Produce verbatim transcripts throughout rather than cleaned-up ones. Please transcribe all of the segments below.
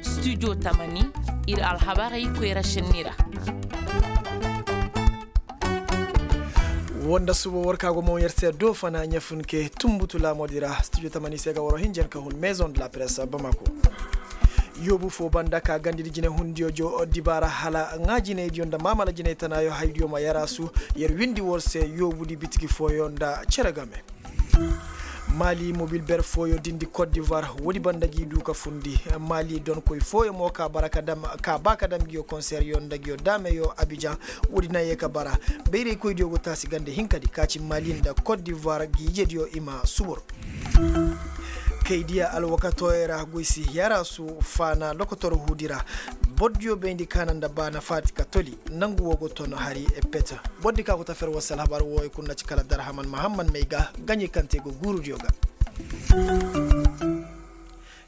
Studio tamani, ir alhabarey koyra šenni ra. Woo nda suba war ka go moŋ yer se do fana ɲafunke tunbutu laamoodi ra studio tamani se ga waro hinjan ka hun maison de la presse bamako. Yoobu foo banda ka gandidi jinay hundiyo jo dibaara hala ŋaa jinaydiyo nda maamala jinay tanaayo haydiyo ma yaraasu. Yer windi war se yoobudi bitiki fooyo nda cere game. Maali mobil ber fooyo dindi kot divoir woodi banda g'i duu ka fundi. Maali donkoy fooyo mo ka bara ka dam ka baa ka dam nguyo konseryo nda nguyo daameyo abijan. Woodi na yee ka bara bayraykoydiyo go taasi gande hinkadi ka ci maali nda kot divoir g'i jediyo i ma subur. Kay diya alwakatooyey ra goy si yaraasu faana lokotor huudi ra. Bordiyo bayndi kaana nda baana faati ka toli. Nangu woo go ton hari peta. Bordi ka go ta fer war se alhabar wooyo kul na ci kala darhaman mahamman may ga gaɲey kaŋ te go guurudiyo ga.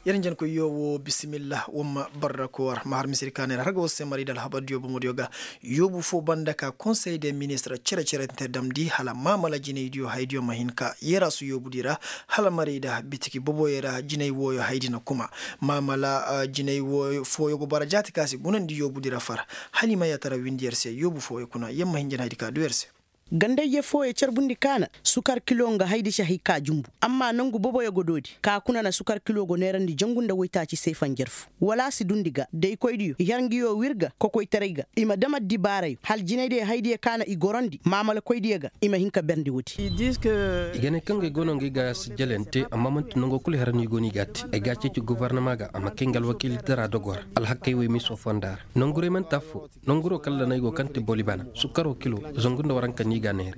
Yer njankoy yoo woo bisimilla wamma barra koor ma har misiri kaaney ra har ga war se marayda alhabardiyo bomodiyo ga. Yoobu foo banda ka konsey de ministir cere-cerente damndi hala maamala jinaydiyo haydiyo ma hin ka yaraasu yoobudi ra. Hala marayda bitiki boboyey ra jinay wooyo haydi na kuma maamala jinay wooyo fooyo go bara jaati ka si gunandi yoobudi ra far. Hala i ma yaatara windi yer se yoobu fooyo kuna yer ma hinjan haydi ka duu yer se. Gandayje fooyo carbundi kaana sukar kilo nga haydi si hay ka jumbu. Amma nangu boboyo go doodi ka kuna na sukar kilo go neerandi jangu nda woytaaci seefanjar fu. Wala a si dundi ga daykoydiyo i har nguyo wir ga kokoytaray ga i ma dam addibaarayo hala jinaydiyo haydiyo kaana i gorandi maamalakoydiyo ga. I ma hin ka berndi woodi. I ga ne kaŋ ga ay go no nga ay ga sijjalante amma man'ti nango kul hera no i go no i g'a te ay g'a ceeci gofornama ga a ma kay nga alwakiilitara dogo ra. Alhakey wey miso fonda ra nangurey man'ti affoo. Nanguroo kala da no ay go kaŋ ti boli bana sukkaroo kilo zangu nda waranka no i g'a neere.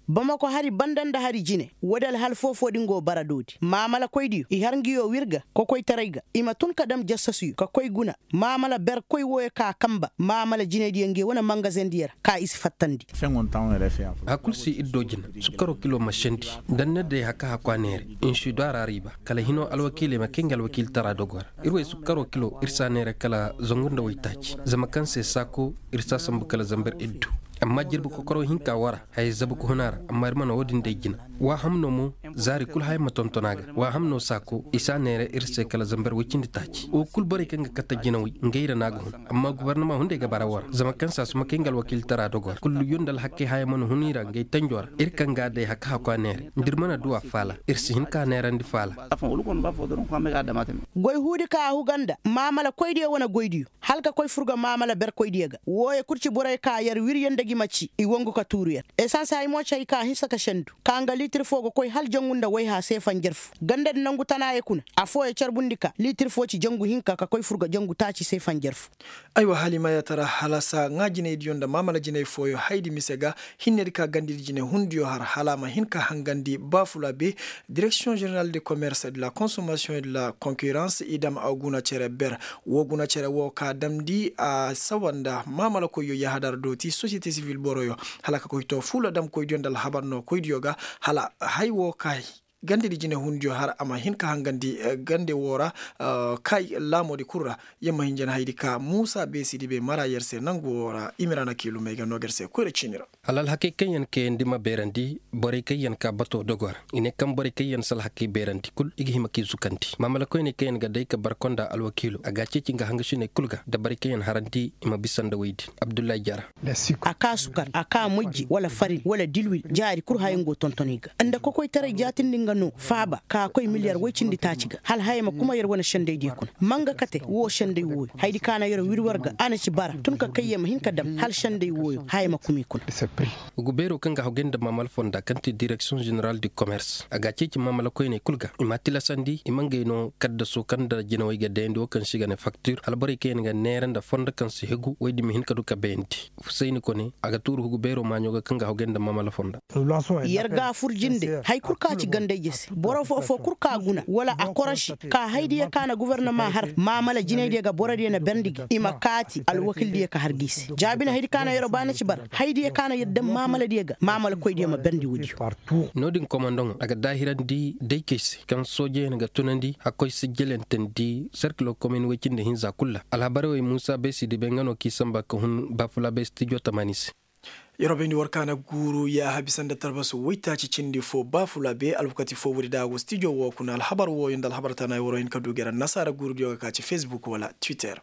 Bamako hari banda nda hari jine woodi alhal foo-foo din go bara doodi maamalakoydiyo i har nguyo wir ga kokoytaray ga i ma tun ka dam jassasuyo ka koy guna. Maamala berkoy wooyo ka kamba maamala jinaydiyo ngey wane mangazendiyo ra ka i si fattandi. Haya kul si ir do jina sukkaroo kilo ma sendi. Danne day haka haku a neere. Insido a ra riiba kala hinoo alwakiiley ma kay nga alwakiilitara dogo ra. Ir wey sukkaroo kilo ir si a neere kala zangu nda waytaaci zama kaŋ se saako ir si a sambu kala zambar iddu. Amma jirbi kokoroo hinka wara haya zabu ka hun a ra amma ir mana woo din day jina. Waa hamno mo zaari kul haya ma tonton a ga waa hamno saako i si a neere ir se kala zambar woy cindi taaci woo kul borey kaŋ ga katta jinawey ngey ra no a ga hun. Amma gobornama hunday ga bara war zama kaŋ se a si ma kay nga alwakiilitara dogo ra kullu yonda alhakkey haya mana hun i ra ngey tanjo ra ir kaŋ ga a day haka haku a neere nda ir mana du a faala ir si hin ka a neerandi faala. Goy huudi ka a huga nda maamalakoydiyo wane goydiyo hala ka koy furga maamala berkoydiyo ga wooyo kul ci borey ka yer wir yer nda gi ma ci i wangu ka tuuru yer. Esans hay mo ci hay ka hinsa ka sendu ka nga liitir foo ga koy hala jangu nda wayha seefanjar fu gandadi nangu tanaayey kuna. Affooyo carbundi ka liitir foo ci jangu hinka ka koy furga jangu taaci seefanjar fu. Aywa hala i ma yaatara halasa ŋaa jinaydiyo nda maamala jinay fooyo haydi mise ga. Hinnedi ka gandidi jinay hundiyo har hala a ma hin ka hangandi baafula be. Direksiyoŋ ženeral de komers de la konsomasiyoŋ de la konkirans i dam a guna cere ber. Woo guna cere woo ka damndi a sawa nda maamalakoyyo yahadar dooti sosiyete sivil boroyo hala ka koy to fuula damkoydiyo nda alhabar nookoydiyo ga. Hala hay woo ka gandedi jinehundiyo har a ma hin ka hangandi gande woo ra. Kay laamoodi kul ra yer ma hin jana haydi ka muusa beesidi be mara yer se nangu woo ra i ma ir a na kiilumey ga noo ga ir se koyra ciini ra. Hala alhakey kaŋ yer kayandi ma beerandi borey kaŋ yer ka bato dogo ra. I ne kaŋ borey kaŋ yer si alhakey beerandi kul i ga hima k'i zukandi maamala koyney kaŋ yer ga day ka bar konda alwakiilo a g'a ceeci nga hangasiney kul ga nda borey kaŋ yer harandi i ma bisa nda woy din abdullahi jara. A kaa sukar a kaa moyje wala farin wala dilwil jaari kul haya nga go tonton i ga nda kokoytaray jaatindi nga no faaba ka koy miliyar woy cindi taaci ga hala haya ma kuma yer wane sendaydiyo kuna. Ma nga kate woo senday wooyo haydi ka na yer wir war ga a na ci bara tun ka kay yer ma hin ka dam hala senday wooyo haya ma kuma i kuna. Hugu beeroo kaŋ ga hagay nda maamala fonda kaŋ ti direksiyoŋ ženeral du komers a g'a ceeci maamala koyney kul ga i m'a tilasandi i ma ngey no kaddaso kaŋ nda jinawey ga dayandi woo kaŋ se i ga ne faktir hala borey kaŋ yaŋ ga neera nda fonda kaŋ si hegu woy din ma hin ka du ka bayandi. Fusayni kone a ga tuuru hugu beeroo maaɲo ga kaŋ ga hagay nda maamala fonda. Yer ga fur jinde hay kul ka ci gandayje se boro foo-foo kul ka guna wala a korosi ka haydiyo ka na gofornama har maamala jinaydiyo ga borodiyo na berndi gi i ma kaati alwakildiyo ka har gi se jaabina haydi ka na yeroo ba na ci bara haydiyo ka na yer daŋ maamaladiyo ga maamalakoydiyo ma berndi woodiyo. No-din komandoŋo a ga daahirandi daykey se kaŋ soojeyaŋ ga tunandi hakkoy sijjalantandi serkilo komin woy cindi hinza kul ra alhabarey wey muusa beesidi bay nga no k'i samba ka hun baafula bay stijo tamaani se. Yeroo bayndi war kaana guuru yaaha bisa nda talbasu woytaaci cindi foo baafula bee alwakati foo woodi da a go stijo woo kuna alhabar wooyo nda alhabar tana yeroo hin ka duu gera nasaara guurudiyo ga ka ci fesbuk wala twitter.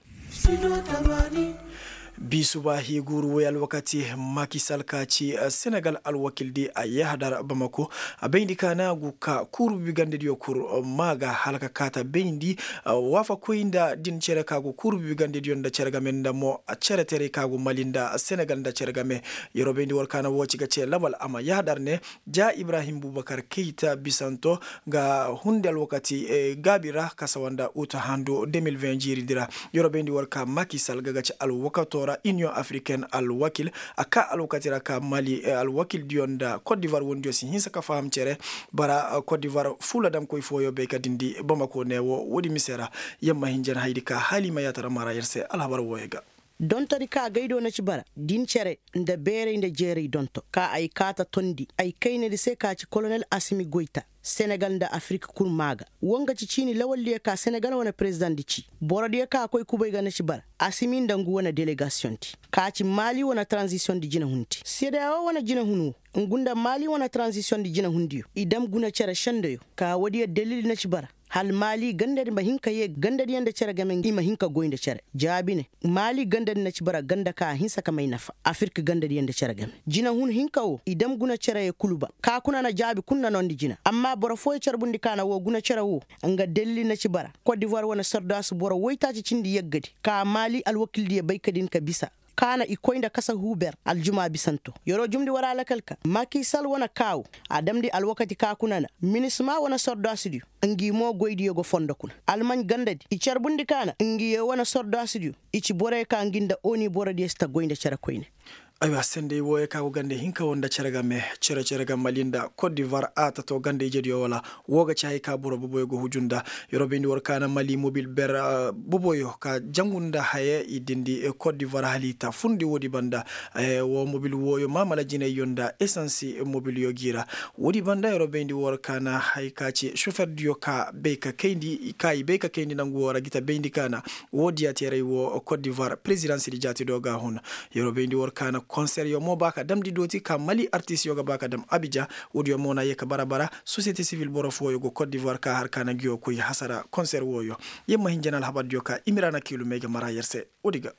Bi subaahi guuru woy alwakati makisal ka ci senegal alwakildi a yahadar bamako a bayndi kaana gu ka kuuru bibigandediyo kur maa ga hala ka kaata bayndi waafakoy nda din cere ka gu kuuru bibigandediyo nda cere game nda mo cere teray ka gu mali nda senegal nda cere game. Yeroo bayndi war kaana woo ci ga cee labal a ma yahadar ne ja ibrahim bubakar keyta bisanto ga hundi alwakati gaabi ra ka sawa nda uta handu deux mille vingt jiiridi ra. Yeroo bayndi war ka makisal ga ga ci alwakatoo ra iniyoŋ afriken alwakil a kaa alwakati ra ka mali alwakildiyo nda kot divar wondiyo si hinsa ka faham cere bara kot divar fuula damkoy fooyo bay ka dindi bamako ne woo woodi mise ra. Yamma hinjan haydi ka haliima yaatara mara yer se alhabar wooyo ga. Dontodi ka gay do na ci bara din cere nda beeray nda jeeray donto ka ay kaata tondi ay kaynadi se ka ci kolonel asimi goyta senegal nda afirik kul maa ga. Woo nga ci ciini lawaldiyo ka senegal wane perezidaŋ di ci borodiyo ka koy kubay ga na ci bara asimi nda ngu wane delegasiyoŋ di ka ci maali wane taranzisiyoŋ di jinahundi sedeyawo wane jinahun woo ngu nda maali wane taranzisiyoŋ di jinahundiyo i dam guna cere sendeyo ka woodiyo dalil na ci bara hala maali gandadi ma hin ka yee gandadiyo nda cere game i ma hin ka goy nda cere jaabi ne maali gandadi na ci bara ganda ka a hinsa ka may nafa afirik gandadiyo nda cere game jinahun hinka woo i dam guna cereye kul ba ka kuna na jaabi kul na noondi jina amma boro fooyo carbundi ka na woo guna cere woo nga dalili na ci bara kot divoir wane sordaasu boro woytaaci cindi yeggadi ka maali alwakildiyo bay ka din ka bisa ka na i koy nda kasa huuber aljumaa bisanto yeroo jumndi war alakal ka makisal wane kaawu a damndi alwakati ka kuna na minisma wane sordaasudiyo ngi mo goydiyo go fondo kuna almaɲ gandadi i carbundi ka na ngi yee wane sordaasudiyo i ci borey ka ngi nda oni borodiyo si ta goy nda cere koyne. Aywa sendey wooyo ka go ganda hinka wo nda cere game cere cere ga mali nda kot divoir a tato ganda ijediyo wala woo ga ci hay ka boro boboyo go huju nda. Yeroo bayndi war ka na mali mobil ber boboyo ka jangu nda haya i dindi kot divoir hala i ta fundi woodi banda woo mobil wooyo maamala jinayyo nda esansi mobilyo gi ra. Woodi banda yeroo bayndi war ka na hay ka ci soferdiyo ka bay ka kayndi ka i bay ka kayndi nangu woo ra gi ta bayndi ka na woo diya teeray woo kot divoir perezidansidi jaati do ga a hun. Yeroo bayndi war ka na konseryo mo ba ka damndi dooti ka mali artisyo ga ba ka dam abija. Woodiyo mo na yee ka bara bara sosiyete sivil boro fooyo go kot divoir ka har ka na ngiyo koy hasara konser wooyo. Yer ma hin jana alhabardiyo ka imirana kiilu may ga mara yer se. Woodi ga.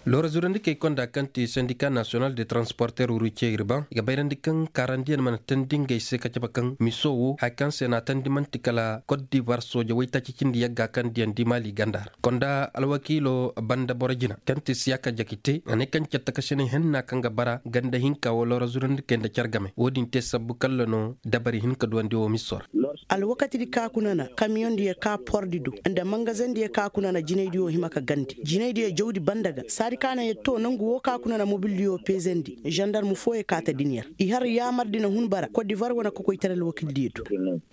Loora zurandi kay konda kaŋ ti sendika nasiyonal de transporter wuru cee ir ban i ga bayrandi kaŋ kaarandiyaŋ mana teendi ngey se ka cabe kaŋ miso wo haya kaŋ se na a teendi man'ti kala kot divar sooja waytaaci cindi yagga kaŋ diyandi maali ganda ra konda alwakiilo banda boro jina kaŋ ti siyaka jakite a ne kaŋ catta ka sene henna kaŋ ga bara ganda hinka wo loora zurandi kay nda care game wo-din te sabbu kalla no dabari hin ka duwandi wo miso ra. Alwakatidi ka kuna na kamiyoŋdiyo ka pordi do nda mangazeŋdiyo ka kuna na jinaydiyo hima ka gandi jinaydiyo jawdi banda ga saadi ka na yer to nangu wo ka kuna na mobildiyo peezendi zandarm fooyo ka ta din yer i har yaamardi na hun bara kot divar wane kokoytaray alwakildiyo do.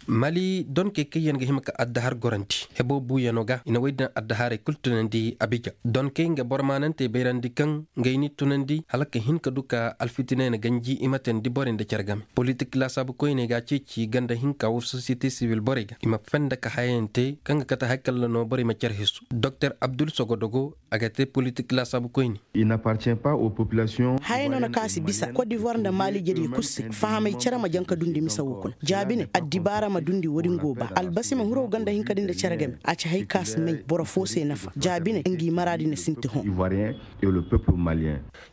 Mali donkey kaŋ yaŋ ga hima ka addahar gorandi hebo buuyano ga i na woy din addaharey kul tunandi abija donkey nga boro maanantey bayrandi kaŋ ngey n'i tunandi hala ka hin ka du ka alfitiney na ganji i ma teendi borey nda care game politik laasaabu koyney ga a ceeci ganda hinka wo sosiyete sibil borey ga i ma fenda ka hayayaŋ te kaŋ ga kate haya kalla no borey ma care hesu doktor abdul sogodogo a ga te politik laasaabu koyne. Haya no na kaŋ a si bisa kot divoir nda maali jediyo kul se fahamay care ma jaŋ ka dundi mise wo kuna jaabi ne addibaara ma dundi wo-din go ba albasi ma hiro ganda hinka din nda care game a ci hay kaŋ a si may boro fo se nafa jaabi ne ngi maraadi na sinti hõ.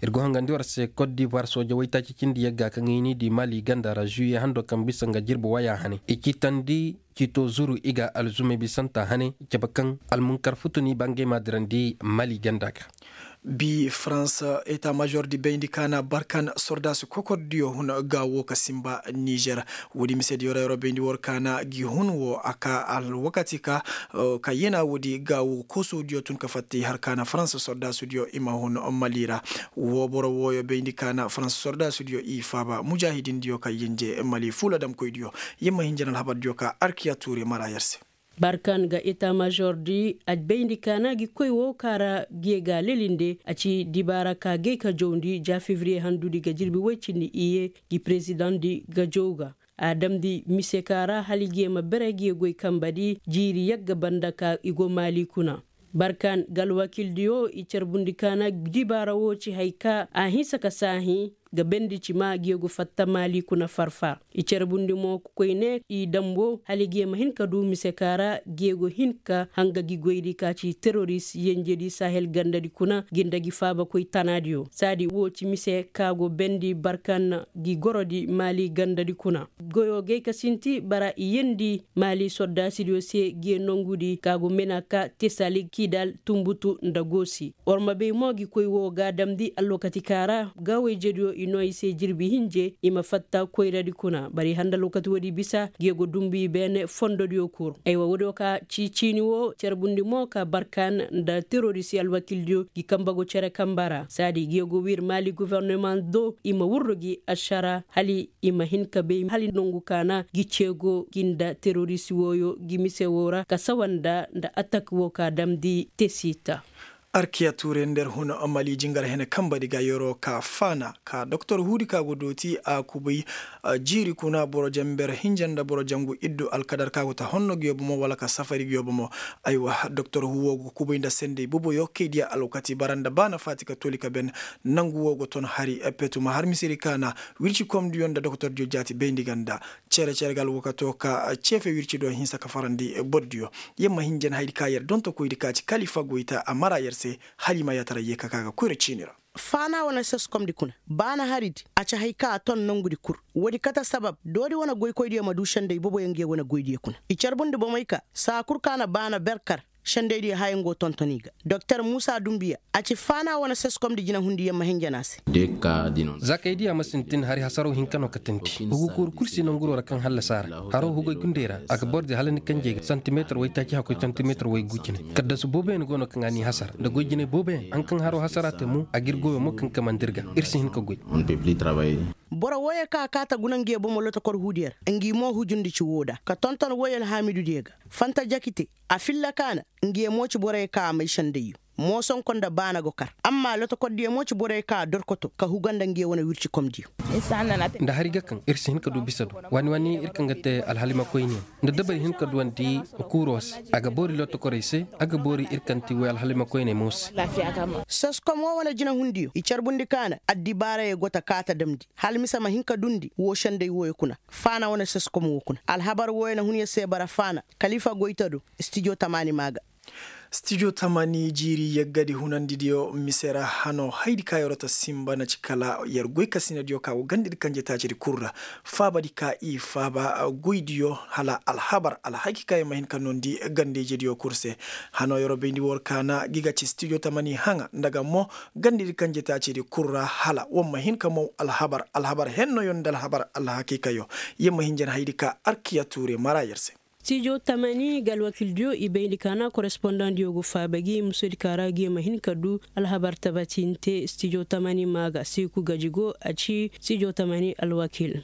Ir go hangandi war se kot divoir sooja waytaaci cindi yagga kaŋ i n'i di maali ganda ra zuye hando kaŋ bisa nga jirbi waya hane i ci tandi cito zuru i ga alzumay bisanta hane cabe kaŋ almunkar futuni ba ngey ma dirandi maali ganda ga. Bi farans eta major di bayndi kaana barkan sordaasi kokordiyo hun gaawo ka simba nizer. Woodi mise di yoro yoro bayndi war kaana gi hun wo a ka alwakati ka ka yena woodi gaawo koosodiyo tun ka fatta i har kaana farans sordaasidiyo i ma hun mali ra. Wo boro wooyo bayndi kaana farans sordaasidiyo i faaba mujaahidindiyo ka yenje mali fuula damkoydiyo. Yer ma hin jana alhabardiyo ka arkiya tuure mara yer se. Barkan ga eta major di a bayndi kaana gi koy wo kaŋ ra ge ga lelinde a ci dibaara ka gay ka jawndi ja fevriye handudi ga jirbi woy cindi iye gi perezidaŋ di ga jaw ga a damndi mise ka ra hala ge ma bere ge goy kamba di jiiri yagga banda ka i go maali kuna. Barkan ga alwakildiyo i carbundi kaana dibaara wo ci hay ka a hinsa ka saahi. ga bendi cima geego fatta maali kuna farfa. I carbundi mo koyne i dambo hala geema hin ka du mise ka ra geego hin ka hanga gi goydi ka ci teroris yenjedi sahel gandadi kuna gi nda gi faabakoy tanaadiyo saadi wo ci mise ka go bendi barkan gi gorodi maali gandadi kuna. Goyo gay ka sinti bara i yendi maali sordaasidiyo se gee nongudi ka go mena ka tesali kidal tumbutu nda goosi. War ma bay mo gi koy wo ga damndi alwakati ka ra gaawayjediyo i noo i se jirbi hinje i ma fatta koyradi kuna bari handa alwakati woodi bisa gee go dumbu i beene fondodiyo kul. Aywa woodiyo ka ci ciini wo carbundi mo ka barkan nda terorisi alwakildiyo gi kamba go cere kamba ra saadi gee go wir maali gofornoma do i ma wurru gi ašara hala i ma hin ka bay hala nongu ka na gi ceego gi nda terorisi wooyo gi mise woo ra ka sawa nda nda atak woo ka damndi te siita. Arkiya tuure nder huna mali jingar hene kambadi ga yeroo ka faana ka doktor huudi ka go dooti a kubay jiiri kuna boro jamber hinja nda boro jangu iddu alkadar ka go ta honno gi yobo mo wala ka safari gi yobo mo. Aywa doktor huu woo go kubay nda sendey boboyo kay diya alwakati bara nda baana faati ka tooli ka ben. Nangu woo go ton hari petuma har misedi ka na wircikomdiyo nda doktordiyo jaati bayndi ga nda cere-cere ga alwakato ka ceefe wirci do hinsa ka farandi bordiyo. Yer ma hin jen haydi ka yer dontokoydi ka ci kalifa goyta a mara yer se hala i ma yaatara yee ka ka ga koyra ciini ra. Faana wane seskomdi kuna baana haridi a ci hay ka a ton nongudi kul. Woodi kate sabab doori wane goykoydiyo ma du sendey boboyo nge wane goydiyo kuna i carbundi bomey ka saa kul ka na baana ber kar. Sendeydiyo haya ngo tonton i ga doktor muusa dumbiya a ci faana wane seskomdi jinahundi yer ma hin jen a se. Za kay diya ma sintin hari hasaroo hinka no ka tindi hugu kuuru kul si nanguroo ra kaŋ hallasa a ra. Haroo hugay gundey ra a ga bordi hala ni kanjey ga santimeetir waytaaci hakkoy santimeetir waygu cine. Kaddasu booboyaŋ go no kaŋ a n'i hasara nda goy jinay booboyaŋ haŋ kaŋ haroo hasara te mo a g'ir goyoo mo kaŋ kamandi ir ga. Ir si hin ka goy. Boro wooyoo kaŋ a kaata guna nge bomo lotokor huudiyo ra ngi mo hujundi ci woo da ka tonton wooyoo alhaamidudiyo ga. Fanta jakite a filla kaana. Nge mo ci boroyoo kaŋ a may sendayyo moosonko nda baana go kar amma lotokordiyo mo ci boroyoo kaŋ a dorkoto ka huga nda nge wane wircikomdiyo. Nda hari ga kaŋ ir si hin ka du bisa do waani waani ir kaŋ ga te alhalimakoyniyaŋ nda dabari hin ka duwandi kuuroo se a ga boori lotokorey se a ga boori ir kaŋ ti woy alhalimakoyney mo se. Soskom woo wane jinahundiyo i carbundi kaana addibaarayey go ta kaata damndi hala mise ma hin ka dundi woo senday wooyo kuna. Faana wane soskom woo kuna alhabar wooyo na hun yer se bara faana kalifa goyta do. Stijo tamaani maa ga. Stijo tamaani jiiri yeggadi hunandidiyo mise ra hano haydi ka yeroo ta sinba na ci kala yer goykasinadiyo ka go gandedi kanjetaacidi kul ra. Faabadi ka i faaba goydiyo hala alhabar alhaki ka yer ma hin ka noondi gandejediyo kul se. Hano yeroo bayndi war kaana gi ga ci stijo tamaani haŋa nda ga mo gandedi kanjetaacidi kul ra hala war ma hin ka mow alhabar alhabar hennoyo nda alhabar alhakiikayo. Yer ma hin jen haydi ka arkiya tuure mara yer se. Stijo tamaani ga alwakildiyo i bayndi kaana korespondandiyo go faaba gi musodi ka ra gi ma hin ka du alhabar tabatinte stijo tamaani maa ga seeku gaji go a ci stijo tamaani alwakil.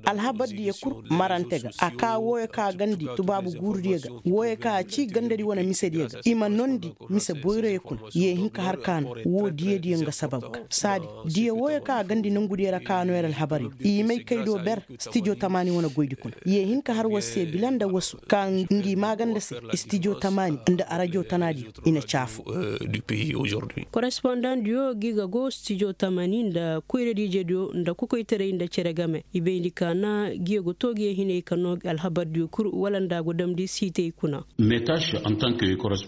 Alhabar diyo kul marante ga a ka wooyo ka gandi tubaabu guurudiyo ga wooyo ka a ci gandadi wane misediyo ga i ma noondi mise boyroyo kuna yee hin ka har kaana woo diyadiyo nga sabab ga saadi diyo wooyo ka a gandi nongudiyo ra ka a noo yer alhabaryo i may kay do ber. Stijo tamaani wane goydi kuna yee hin ka har war se bila nda wasu ka ngi maaganda se stijo tamaani nda arajo tanaadiyo i na caafu. Korespondandiyo gi ga go stijo tamaani nda koyradiijediyo nda kokoytaray nda cere game i bayndi kaana gi ga go toogiyo hinay ka noo alhabardiyo kul wala nda a go damndi siitey kuna.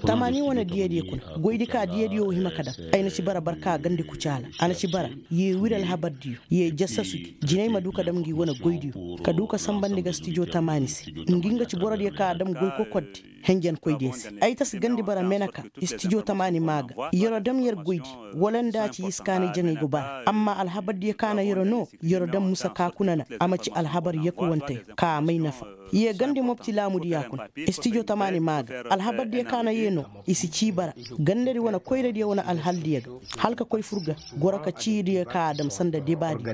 Tamaani wane diyadiyo kuna goydi ka diyadiyo wo hima ka dam ay na ci bara barka gandi kucaala a na ci bara yee wir alhabardiyo yee jassasu gi jinay ma du ka dam ngi wane goydiyo ka du ka sanbandi ga stijo tamaani se ngi nga ci borodiyo ka a dam goy kokordi henjenkoydiyo se ay ta si gandi bara meneka stijo tamaani maa ga yeroo dam yer goydi wala nda a ci yiskaani jaŋay go bara amma alhabardiyo ka na yeroo noo yeroo dam musa ka kuna na a ma ci alhabar yakuwanteyo ka a may nafa. Yee gandi mopti laamudiyo kuna stijo tamaani maa ga alhabardiyo ka na yee noo i si cii bara gandadi wane koyradiyo wane alhaldiyo ga hala ka koy fur ga goro ka ciidiyo ka a dam sanda debaadi.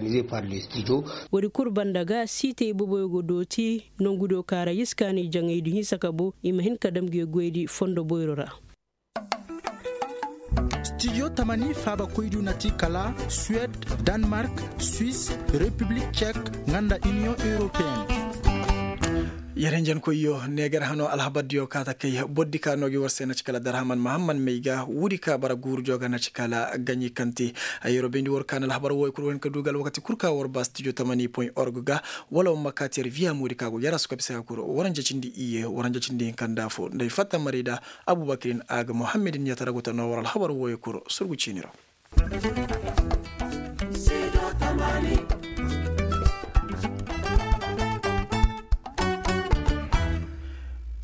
Woodi kul banda ga siitey boboyo go dooti nongudiyo ka ra yiskaani jaŋaydi hinsa ka bo i ma hin ka dam nge goydi fondo boyro ra. Stijo tamani faabakoydiyo na ti kala suwed, danmark, swis, repiblik cek, nga nda iniyoŋ europeen. Yer hinjankoyyo neegar hano alhabardiyo kaata kay bordi ka no gi war se na ci kala darhaman mahamman may ga woodi ka bara guurudiyo ga na ci kala gaɲi kante. Yeroo bayndi war ka na alhabar wooyo kul war hin ka du ga alwakati kul ka war ba studio tamani point org ga, wala war ma kaati yer viya moodi ka go yer a su ka bisa ga kul waranja cindi iyye waranja cindi hinka nda fo nda ay fatta marayda. Abubakirin a ga muhammadin yatara go ta no war alhabar wooyo kul surgu ciini ra.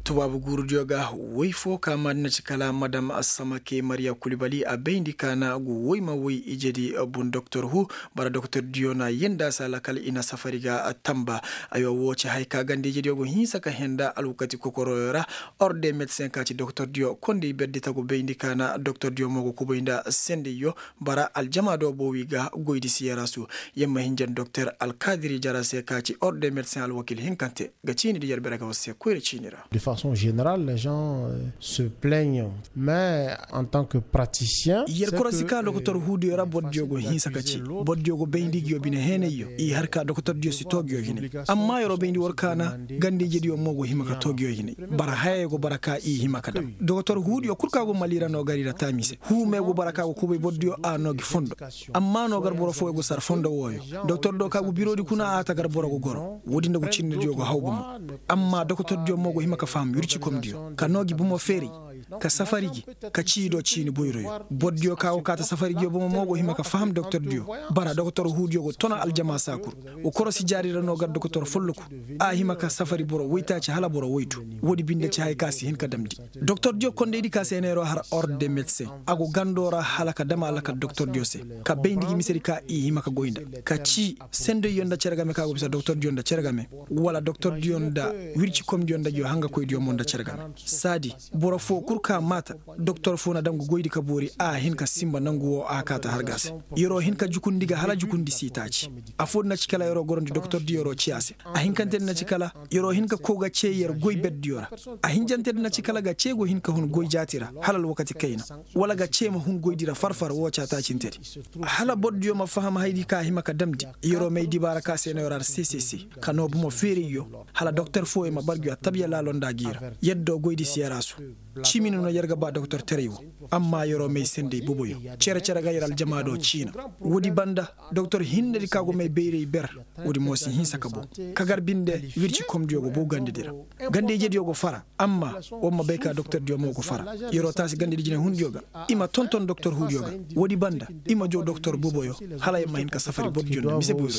Tubaabu guurudiyo ga woy fo ka maadina ci kala madam samake mariya kulibali a bayndi ka na gu woy ma woy ijedi bun doktor hu. Bara doktordiyo na yenda se alakal i na safari ga tamba. Aywa woo ci haya ka ganda ijediyo go hinsa ka henda alwakati kokoroyo ra. Orde medsen ka ci doktordiyo kondey berdi ta go bayndi ka na doktordiyo mo go kubay nda sendeyyo. Bara aljama do boowi ga goydi siyarasu. Yer ma hinjan doktor alkadiri jara se ka ci orde medsen alwakil hinkante ga ciini di yer bere ga war se koyra ciini ra. De façon générale les gens se plaignent mais en tant que praticien yer korosi ka doktor huudiyo ra bordiyo go hinsa ka ci bordiyo go bayndi ngiyo bine heenayyo i har ka doktordiyo si too ngiyo hinay. Amma yeroo bayndi war ka na ganda ijediyo mo go hima ka too ngiyo hinay. Bara hayey go bara ka i hima ka dam doktor huudiyo kul ka go mali ra no gar i ra taami se huu me go bara ka go kubay bordiyo a no gi fondo. Amma no gar boro fooyo go sar fondo wooyo doktor do ka go biroodi kuna a ta gar boro go goro woodi nda go cinnediyo go haw bomo. Amma doktordiyo mo go hima ka faham wircikomdiyo ka no gi bomo feeray ka safari gi ka cii do ciini boyroyo. Bordiyo ka go kaa ta safari giyo bomo mo go hima ka faham doktordiyo. Bara doktor huudiyo go tona aljama saa kul. Wa korosi jaari ra no gar doktor folloku a hima ka safari boro woytaaci hala boro woytu. Woodi binde ci haya ka si hin ka damndi doktordiyo kondaydi ka se na yeroo har orde medsen a go gandoo ra hala ka dam alakal doktordiyo se ka bayndi gi misedi ka i hima ka goy nda ka cii sendeyyo nda cere game ka go bisa doktordiyo nda cere game wala doktordiyo nda wircikomdiyo nda ngiyo hangakoydiyo mo nda cere game. Saadi boro foo kul ka maata doktor foo na dam ga goydi ka boori a hin ka sinba nangu woo a kaa ta har ga a se. Yer'o hin ka jukundi ga hala jukundi sii taaci. Afoo di na ci kala yer'o gorondi doktordi yer'o cii a se. A hinkante di na ci kala yer'o hin ka kow ga cee yer goy berdiyo ra. A hinjante di na ci kala ga cee go hin ka hun goy jaati ra hala alwakati kayna wala ga cee ma hun goydi ra far-far woo caataacinte di. Hala bordiyo ma faham hayadi ka a hima ka damndi. Yer'o may dibaara ka se no yer har se se se ka noo bomo feerayyo hala doktor fooyo ma bar ngi attabiya laalo nda gi ra. Yaddo goydi si yer a su. Cimi no no yer ga ba doktortaray wo. Amma yer'o may senday boboyo. Cere-cere ga yer aljama do ciina. Woodi banda doktor hinnedi ka go may bayray ber. Woodi mo si hinsa ka bow ka gar binde wircikomdiyo go bow gandedi ra. Ganda-ijediyo go fara. Amma war ma bay ka doktordiyo mo go fara. Yer'o taasi gandedi jinehundiyo ga. I ma tonton doktor huudiyo ga. Woodi banda i ma jow doktor boboyo. Hala yer ma hin ka safari bordiyo nda mise boyroyo.